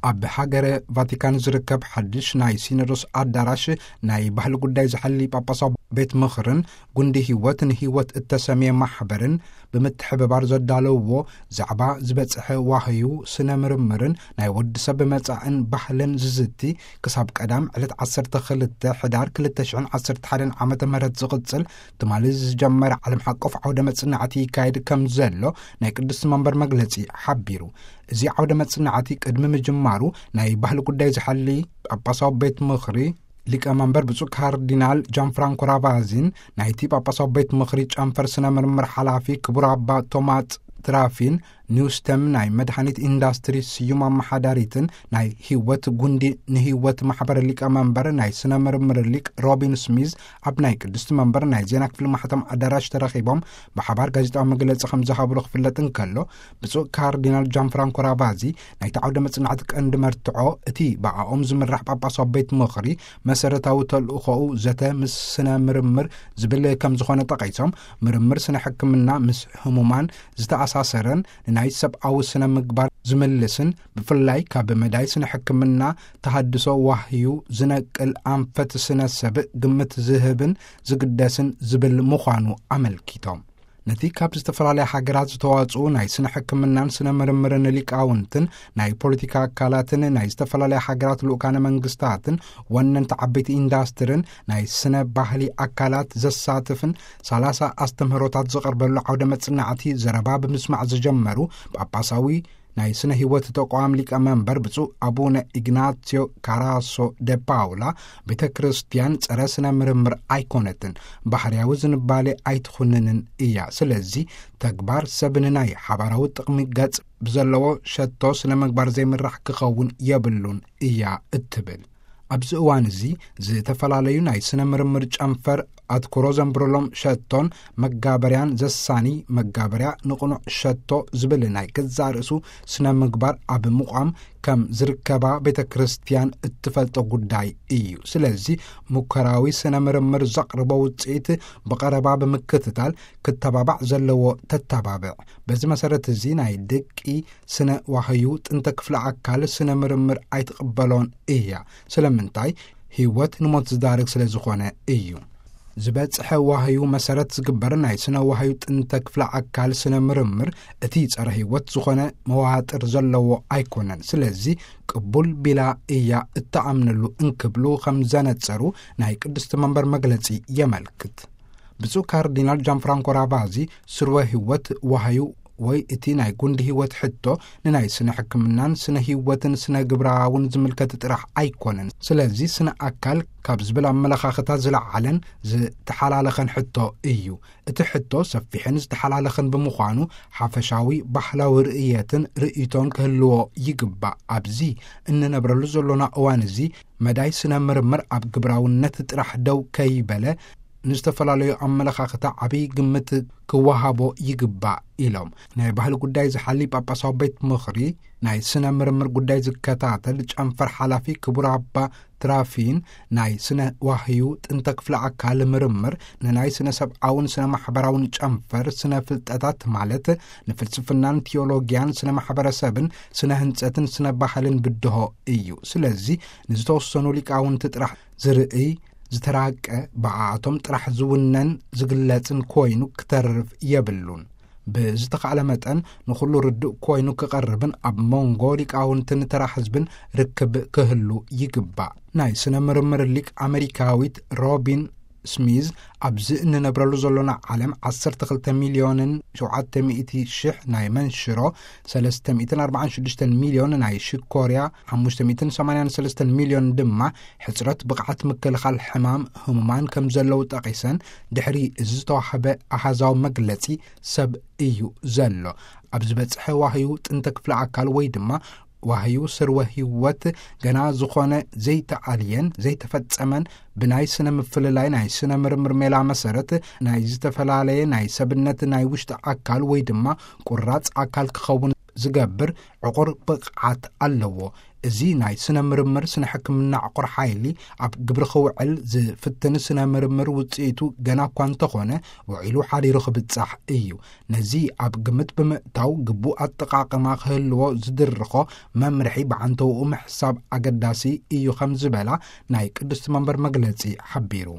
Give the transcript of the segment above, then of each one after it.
ኣብ ሃገረ ቫቲካን ዝርከብ ሓድሽ ናይ ሲኖዶስ ኣዳራሽ፣ ናይ ባህሊ ጉዳይ ዝሓሊ ጳጳሳዊ ቤት ምኽርን ጉንዲ ህይወት ንህይወት እተሰምየ ማሕበርን ብምትሕብባር ዘዳለውዎ፣ ዛዕባ ዝበጽሐ ዋህዩ ስነ ምርምርን ናይ ወዲ ሰብ መጻእን ባህልን ዝዝቲ፣ ክሳብ ቀዳም ዕለት ዓሰርተ ክልተ ሕዳር ክልተ ሽሕን ዓሰርተ ሓደን ዓመተ ምህረት ዝቕጽል ትማሊ ዝጀመረ ዓለም ሓቆፍ ዓውደ መጽናዕቲ ይካየድ ከም ዘሎ ናይ ቅድስቲ መንበር መግለጺ ሓቢሩ። እዚ ዓውደ መጽናዕቲ ቅድሚ ምጅማሩ፣ ናይ ባህሊ ጉዳይ ዝሓሊ ጳጳሳዊ ቤት ምኽሪ ሊቀ መንበር ብፁዕ ካርዲናል ጃን ፍራንኮ ራቫዚን ናይቲ ጳጳሳዊ ቤት ምኽሪ ጨንፈር ስነ ምርምር ሓላፊ ክቡር ኣባ ቶማስ ትራፊን ኒውስተም ናይ መድሃኒት ኢንዳስትሪ ስዩም ኣመሓዳሪትን ናይ ህይወት ጉንዲ ንህይወት ማሕበር ሊቀ መንበር ናይ ስነ ምርምር ሊቅ ሮቢን ስሚዝ ኣብ ናይ ቅድስቲ መንበር ናይ ዜና ክፍሊ ማሕተም ኣዳራሽ ተረኺቦም ብሓባር ጋዜጣዊ መግለጺ ከም ዝሃብሉ ክፍለጥ እንከሎ፣ ብፁዕ ካርዲናል ጃን ፍራንኮ ራቫዚ ናይቲ ዓውደ መጽናዕቲ ቀንዲ መርትዖ እቲ ብኣኦም ዝምራሕ ጳጳሳዊ ቤት ምኽሪ መሰረታዊ ተልእኾኡ ዘተ ምስ ስነ ምርምር ዝብል ከም ዝኾነ ጠቒሶም፣ ምርምር ስነ ሕክምና ምስ ህሙማን ዝተኣሳሰረን ንናይ ሰብኣዊ ስነ ምግባር ዝምልስን፣ ብፍላይ ካብ መዳይ ስነ ሕክምና ተሃድሶ ዋህዩ ዝነቅል ኣንፈት ስነ ሰብ ግምት ዝህብን ዝግደስን ዝብል ምዃኑ ኣመልኪቶም። ነቲ ካብ ዝተፈላለያ ሃገራት ዝተዋጽኡ ናይ ስነ ሕክምናን ስነ ምርምርን ሊቃውንትን ናይ ፖለቲካ ኣካላትን ናይ ዝተፈላለያ ሃገራት ልኡካነ መንግስታትን ወነንቲ ዓበይቲ ኢንዳስትርን ናይ ስነ ባህሊ ኣካላት ዘሳትፍን ሰላሳ ኣስተምህሮታት ዝቐርበሉ ዓውደ መጽናዕቲ ዘረባ ብምስማዕ ዝጀመሩ ጳጳሳዊ ናይ ስነ ህይወት ተቋም ሊቀ መንበር ብፁዕ ኣቡነ ኢግናሲዮ ካራሶ ደ ፓውላ፣ ቤተ ክርስቲያን ጸረ ስነ ምርምር ኣይኮነትን፣ ባህርያዊ ዝንባሌ ኣይትኹንንን እያ። ስለዚ ተግባር ሰብ ንናይ ሓባራዊ ጥቕሚ ገጽ ብዘለዎ ሸቶ ስነ ምግባር ዘይምራሕ ክኸውን የብሉን እያ እትብል። ኣብዚ እዋን እዚ ዝተፈላለዩ ናይ ስነ ምርምር ጨንፈር ኣትኩሮ ዘንብረሎም ሸቶን መጋበርያን ዘሳኒ መጋበርያ ንቕኑዕ ሸቶ ዝብል ናይ ገዛእ ርእሱ ስነ ምግባር ኣብ ምቋም ከም ዝርከባ ቤተ ክርስቲያን እትፈልጦ ጉዳይ እዩ። ስለዚ ሙከራዊ ስነ ምርምር ዘቕርቦ ውፅኢት ብቐረባ ብምክትታል ክተባባዕ ዘለዎ ተተባብዕ። በዚ መሰረት እዚ ናይ ደቂ ስነ ዋህዩ ጥንተ ክፍለ ኣካል ስነ ምርምር ኣይትቕበሎን እያ። ስለምንታይ? ህይወት ንሞት ዝዳርግ ስለ ዝኾነ እዩ። ዝበጽሐ ዋህዩ መሰረት ዝግበር ናይ ስነ ዋህዩ ጥንተ ክፍለ ኣካል ስነ ምርምር እቲ ጸረ ህይወት ዝኾነ መዋጥር ዘለዎ ኣይኮነን። ስለዚ ቅቡል ቢላ እያ እተኣምነሉ እንክብሉ ከም ዘነጸሩ ናይ ቅድስቲ መንበር መግለጺ የመልክት። ብፁዕ ካርዲናል ጃን ፍራንኮ ራቫዚ ስርወ ህይወት ዋህዩ ወይ እቲ ናይ ጉንዲ ህይወት ሕቶ ንናይ ስነ ሕክምናን ስነ ህይወትን ስነ ግብራውን ዝምልከት ጥራሕ ኣይኮነን። ስለዚ ስነ ኣካል ካብ ዝብል ኣመለኻኽታ ዝለዓለን ዝተሓላለኸን ሕቶ እዩ። እቲ ሕቶ ሰፊሕን ዝተሓላለኸን ብምዃኑ ሓፈሻዊ ባህላዊ ርእየትን ርእይቶን ክህልዎ ይግባእ። ኣብዚ እንነብረሉ ዘሎና እዋን እዚ መዳይ ስነ ምርምር ኣብ ግብራውነት ጥራሕ ደው ከይበለ ንዝተፈላለዩ ኣመለኻኽታ ዓብዪ ግምት ክወሃቦ ይግባእ ኢሎም። ናይ ባህሊ ጉዳይ ዝሓሊ ጳጳሳዊ ቤት ምኽሪ ናይ ስነ ምርምር ጉዳይ ዝከታተል ጨንፈር ሓላፊ ክቡር ኣባ ትራፊን ናይ ስነ ዋህዩ ጥንተ ክፍለ ኣካል ምርምር ንናይ ስነ ሰብኣውን ስነ ማሕበራውን ጨንፈር ስነ ፍልጠታት ማለት ንፍልስፍናን ቲዮሎጊያን ስነ ማሕበረሰብን ስነ ህንጸትን ስነ ባህልን ብድሆ እዩ። ስለዚ ንዝተወሰኑ ሊቃውንቲ ጥራሕ ዝርእይ ዝተራቀ ብኣቶም ጥራሕ ዝውነን ዝግለጽን ኮይኑ ክተርፍ የብሉን። ብዝተኻእለ መጠን ንኹሉ ርዱእ ኮይኑ ክቐርብን ኣብ መንጎ ሊቃውንትን ተራ ህዝብን ርክብ ክህሉ ይግባእ። ናይ ስነ ምርምር ሊቅ ኣሜሪካዊት ሮቢን ስሚዝ ኣብዚ እንነብረሉ ዘሎና ዓለም ዓሰርተ ክልተ ሚልዮንን ሸውዓተ ሚእቲ ሽሕ ናይ መንሽሮ፣ ሰለስተ ሚእትን ኣርባዓን ሽዱሽተን ሚልዮን ናይ ሽኮርያ፣ ሓሙሽተ ሚእትን ሰማንያን ሰለስተን ሚልዮን ድማ ሕጽረት ብቕዓት ምክልኻል ሕማም ህሙማን ከም ዘለዉ ጠቒሰን፣ ድሕሪ እዚ ዝተዋህበ ኣሃዛዊ መግለጺ ሰብ እዩ ዘሎ። ኣብ ዝበጽሐ ዋህዩ ጥንተ ክፍለ ኣካል ወይ ድማ ዋህዩ ስርወ ህይወት ገና ዝኾነ ዘይተኣልየን ዘይተፈጸመን ብናይ ስነ ምፍልላይ ናይ ስነ ምርምር ሜላ መሰረት ናይ ዝተፈላለየ ናይ ሰብነት ናይ ውሽጢ ኣካል ወይ ድማ ቁራጽ ኣካል ክኸውን ዝገብር ዕቑር ብቕዓት ኣለዎ። እዚ ናይ ስነ ምርምር ስነ ሕክምና ዕቑር ሓይሊ ኣብ ግብሪ ክውዕል ዝፍትን ስነ ምርምር ውፅኢቱ ገና እኳ እንተኾነ፣ ውዒሉ ሓዲሩ ክብጻሕ እዩ። ነዚ ኣብ ግምት ብምእታው ግቡእ ኣጠቓቕማ ክህልዎ ዝድርኾ መምርሒ ብዓንተውኡ ምሕሳብ ኣገዳሲ እዩ ከም ዝበላ ናይ ቅድስቲ መንበር መግለጺ ሓቢሩ።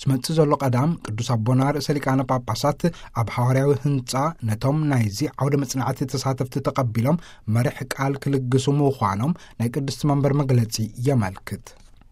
ዝመጽእ ዘሎ ቀዳም ቅዱስ ኣቦና ርእሰ ሊቃነ ጳጳሳት ኣብ ሃዋርያዊ ህንጻ ነቶም ናይዚ ዓውደ መጽናዕቲ ተሳተፍቲ ተቐቢሎም መርሕ ቃል ክልግሱ ምዃኖም ናይ ቅድስቲ መንበር መግለጺ የመልክት።